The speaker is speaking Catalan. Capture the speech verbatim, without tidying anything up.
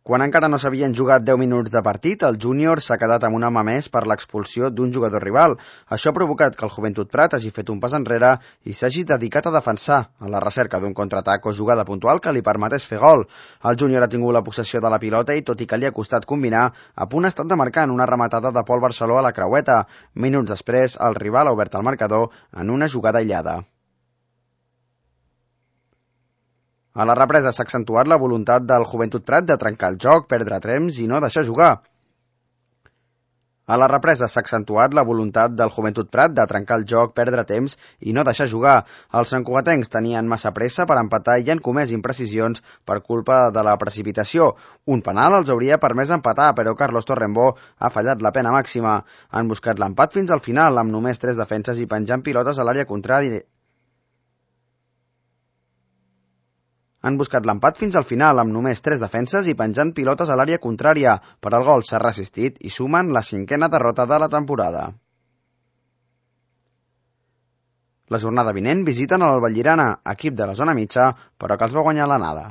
Quan encara no s'havien jugat deu minuts de partit, el júnior s'ha quedat amb un home més per l'expulsió d'un jugador rival. Això ha provocat que el Joventut Prat hagi fet un pas enrere i s'hagi dedicat a defensar, a la recerca d'un contraatac o jugada puntual que li permetés fer gol. El júnior ha tingut la possessió de la pilota i, tot i que li ha costat combinar, a punt ha estat de marcar en una rematada de Pol Barceló a la creueta. Minuts després, el rival ha obert el marcador en una jugada aïllada. A la represa s'ha accentuat la voluntat del Joventut Prat de trencar el joc, perdre temps i no deixar jugar. A la represa s'ha accentuat la voluntat del Joventut Prat de trencar el joc, perdre temps i no deixar jugar. Els santcugatencs tenien massa pressa per empatar i han comès imprecisions per culpa de la precipitació. Un penal els hauria permès empatar, però Carlos Torrembó ha fallat la pena màxima. Han buscat l'empat fins al final, amb només tres defenses i penjant pilotes a l'àrea contrària. Han buscat l'empat fins al final, amb només tres defenses i penjant pilotes a l'àrea contrària, però el gol s'ha resistit i sumen la cinquena derrota de la temporada. La jornada vinent visiten el Vallirana, equip de la zona mitja, però que els va guanyar l'anada.